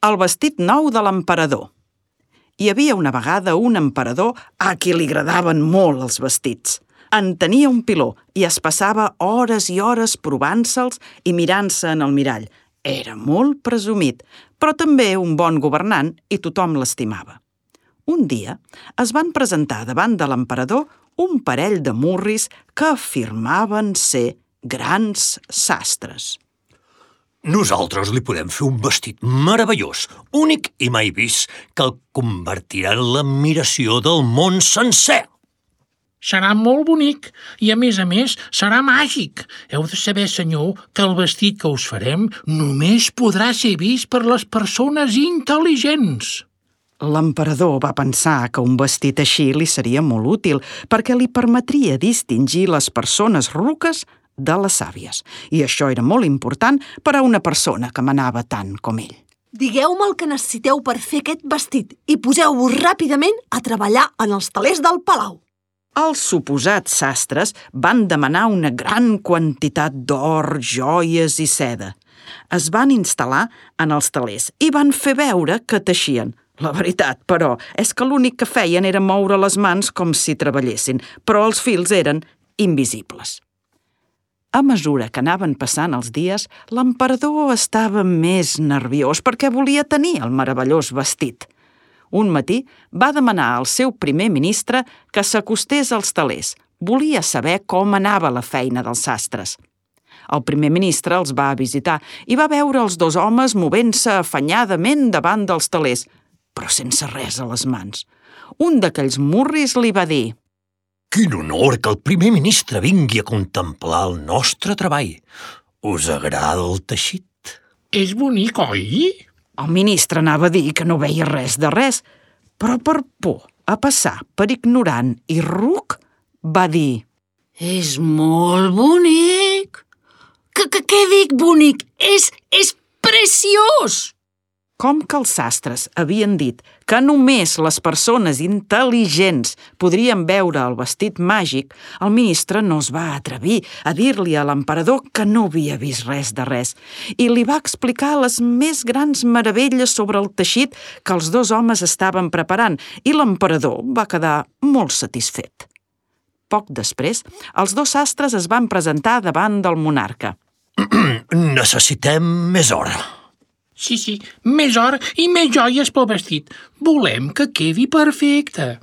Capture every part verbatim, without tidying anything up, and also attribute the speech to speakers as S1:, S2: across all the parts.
S1: el vestit nou de l'emperador. Hi havia una vegada un emperador a qui li agradaven molt els vestits. En tenia un piló i es passava hores i hores provant-se'ls i mirant-se en el mirall. Era molt presumit, però també un bon governant i tothom l'estimava. Un dia es van presentar davant de l'emperador un parell de murris que afirmaven ser grans sastres.
S2: Nosaltres li podem fer un vestit meravellós, únic i mai vist, que el convertirà en l'admiració del món sencer.
S3: Serà molt bonic i, a més a més, serà màgic. Heu de saber, senyor, que el vestit que us farem només podrà ser vist per les persones intel·ligents.
S1: L'emperador va pensar que un vestit així li seria molt útil perquè li permetria distingir les persones ruques de les sàvies. I això era molt important per a una persona que manava tant com ell.
S4: Digueu-me el que necessiteu per fer aquest vestit i poseu-vos ràpidament a treballar en els telers del palau.
S1: Els suposats sastres van demanar una gran quantitat d'or, joies i seda. Es van instal·lar en els telers i van fer veure que teixien. La veritat, però, és que l'únic que feien era moure les mans com si treballessin, però els fils eren invisibles. A mesura que anaven passant els dies, l'emperador estava més nerviós perquè volia tenir el meravellós vestit. Un matí va demanar al seu primer ministre que s'acostés als telers. Volia saber com anava la feina dels sastres. El primer ministre els va visitar i va veure els dos homes movent-se afanyadament davant dels telers, però sense res a les mans. Un d'aquells murris li va dir:
S2: Quin honor que el primer ministre vingui a contemplar el nostre treball. Us agrada el teixit?
S3: És bonic, oi?
S1: El ministre anava a dir que no veia res de res, però per por a passar per ignorant i ruc, va dir:
S4: És molt bonic. Que, que, què dic bonic? És, és preciós!
S1: Com que els sastres havien dit que només les persones intel·ligents podrien veure el vestit màgic, el ministre no es va atrevir a dir-li a l'emperador que no havia vist res de res i li va explicar les més grans meravelles sobre el teixit que els dos homes estaven preparant i l'emperador va quedar molt satisfet. Poc després, els dos sastres es van presentar davant del monarca.
S2: Necessitem més hora.
S3: Sí, sí, més or i més joies pel vestit. Volem que quedi perfecte.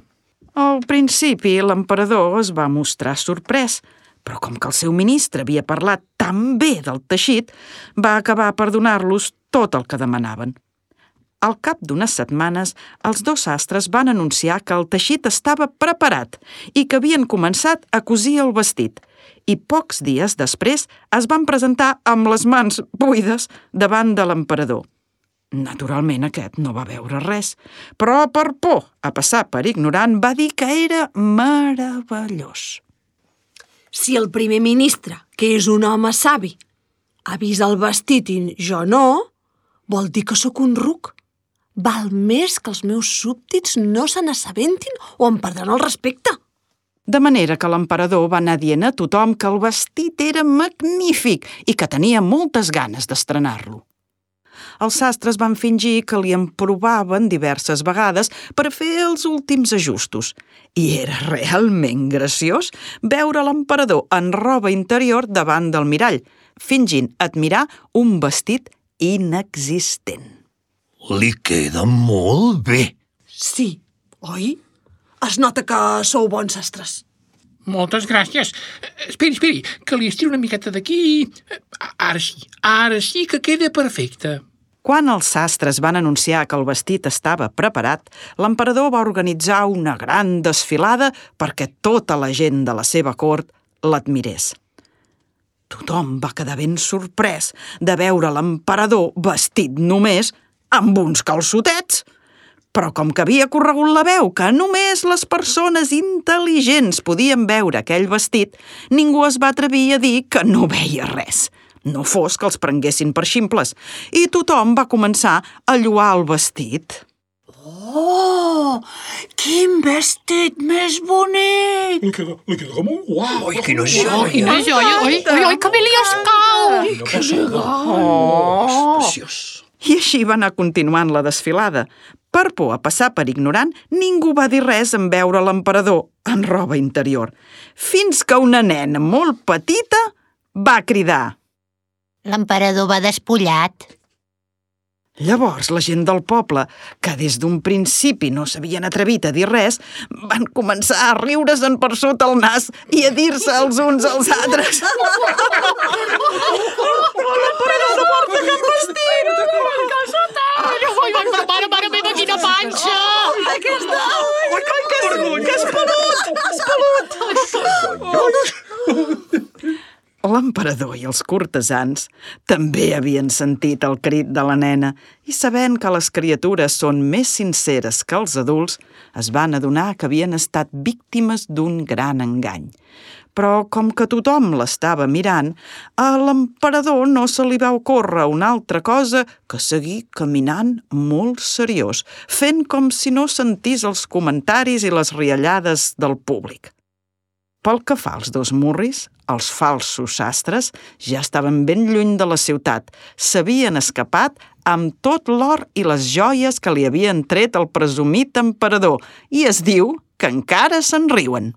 S1: Al principi, l'emperador es va mostrar sorprès, però com que el seu ministre havia parlat tan bé del teixit, va acabar per donar-los tot el que demanaven. Al cap d'unes setmanes, els dos sastres van anunciar que el teixit estava preparat i que havien començat a cosir el vestit. I pocs dies després es van presentar amb les mans buides davant de l'emperador. Naturalment aquest no va veure res, però per por a passar per ignorant va dir que era meravellós.
S4: Si el primer ministre, que és un home savi, ha vist el vestit i jo no, vol dir que sóc un ruc. Val més que els meus súbdits no se n'assabentin o em perdran el respecte.
S1: De manera que l'emperador va anar dient a tothom que el vestit era magnífic i que tenia moltes ganes d'estrenar-lo. Els sastres van fingir que li emprovaven diverses vegades per fer els últims ajustos. I era realment graciós veure l'emperador en roba interior davant del mirall, fingint admirar un vestit inexistent.
S2: Li queda molt bé.
S4: Sí, oi? Es nota que sou bons sastres.
S3: Moltes gràcies. Esperi, esperi, que li estiri una miqueta d'aquí. Ara sí, ara sí que queda perfecte.
S1: Quan els sastres van anunciar que el vestit estava preparat, l'emperador va organitzar una gran desfilada perquè tota la gent de la seva cort l'admirés. Tothom va quedar ben sorprès de veure l'emperador vestit només amb uns calçotets. Però com que havia corregut la veu que només les persones intel·ligents podien veure aquell vestit, ningú es va atrevir a dir que no veia res. No fos que els prenguessin per ximples. I tothom va començar a lloar el vestit.
S4: Oh, quin vestit més bonic!
S5: Li queda, li queda molt guau.
S2: Oi, quina joia.
S6: Quina joia, oi, oi, oi, que bé li escau!
S5: Quina passada. Oh, és preciós.
S1: I així va anar continuant la desfilada. Per por a passar per ignorant, ningú va dir res en veure l'emperador en roba interior, fins que una nena molt petita va cridar.
S5: L'emperador va despullat.
S1: Llavors la gent del poble, que des d'un principi no s'havien atrevit a dir res, van començar a riure's-en per sota el nas i a dir-se els uns als altres. L'emperador no porta cap vestit!
S3: Mare, mare meva, quina panxa!
S1: Aquesta... Ai, que és, que és pelut! És pelut! L'emperador i els cortesans també havien sentit el crit de la nena i, sabent que les criatures són més sinceres que els adults, es van adonar que havien estat víctimes d'un gran engany. Però, com que tothom l'estava mirant, a l'emperador no se li va ocórrer una altra cosa que seguir caminant molt seriós, fent com si no sentís els comentaris i les riallades del públic. Pel que fa als dos murris, els falsos sastres ja estaven ben lluny de la ciutat. S'havien escapat amb tot l'or i les joies que li havien tret el presumit emperador i es diu que encara se'n riuen.